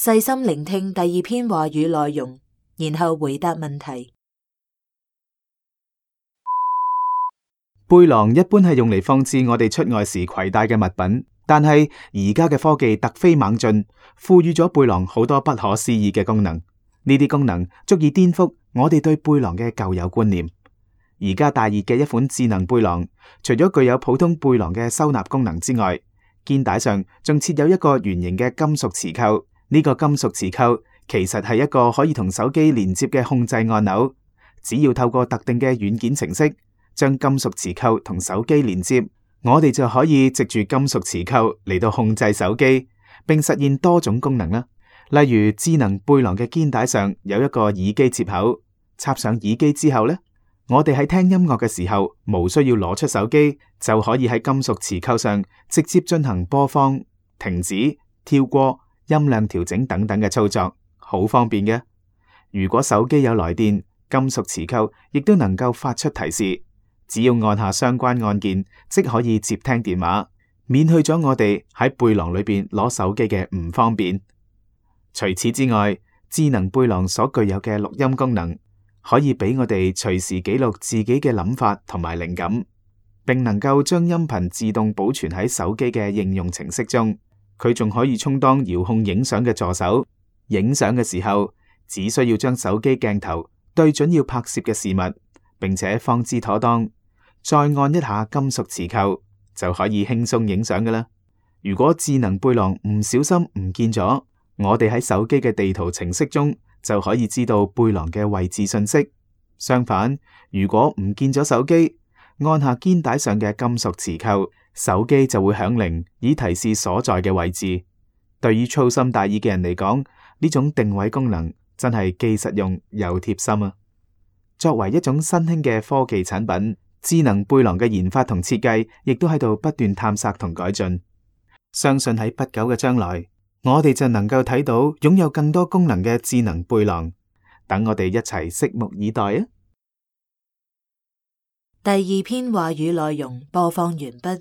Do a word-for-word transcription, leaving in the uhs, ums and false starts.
細心聆聽第二篇話語內容，然後回答問題。背囊一般係用嚟放置我哋出外時攜帶嘅物品，但係而家嘅科技突飛猛進，賦予咗背囊好多不可思議嘅功能。呢啲功能足以顛覆我哋對背囊嘅舊有觀念。而家大熱嘅一款智能背囊，除咗具有普通背囊嘅收納功能之外，肩帶上仲設有一個圓形嘅金屬磁扣。呢個金屬磁扣其實係一個可以同手機連接嘅控制按鈕，只要透過特定嘅軟件程式將金屬磁扣同手機連接，我哋就可以藉住金屬磁扣嚟到控制手機，並實現多種功能啦。例如智能背囊嘅肩帶上有一個耳機接口，插上耳機之後呢，我哋喺聽音樂嘅時候，無需要攞出手機，就可以喺金屬磁扣上直接進行播放、停止、跳過、音量調整等等嘅操作，好方便嘅。如果手機有來電，金屬磁扣亦都能夠發出提示，只要按下相關按鍵，即可以接聽電話，免去咗我哋喺背囊裏邊攞手機嘅唔方便。除此之外，智能背囊所具有嘅錄音功能，可以俾我哋隨時記錄自己嘅諗法同埋靈感，並能夠將音頻自動保存喺手機嘅應用程式中。佢仲可以充當遙控影相嘅助手，影相嘅時候只需要將手機鏡頭對準要拍攝嘅事物，並且放置妥當，再按一下金屬磁扣，就可以輕鬆影相㗎喇。如果智能背囊唔小心唔見咗，我哋喺手機嘅地圖程式中就可以知道背囊嘅位置信息。相反，如果唔見咗手機，按下肩帶上嘅金屬磁扣，手機就會響鈴，以提示所在嘅位置。對於粗心大意嘅人嚟講，呢種定位功能真係既實用又貼心啊！作為一種新興嘅科技產品，智能背囊嘅研發同設計亦都喺度不斷探索同改進。相信喺不久嘅將來，我哋就能夠睇到擁有更多功能嘅智能背囊。等我哋一齊拭目以待啊！第二篇話語內容播放完畢。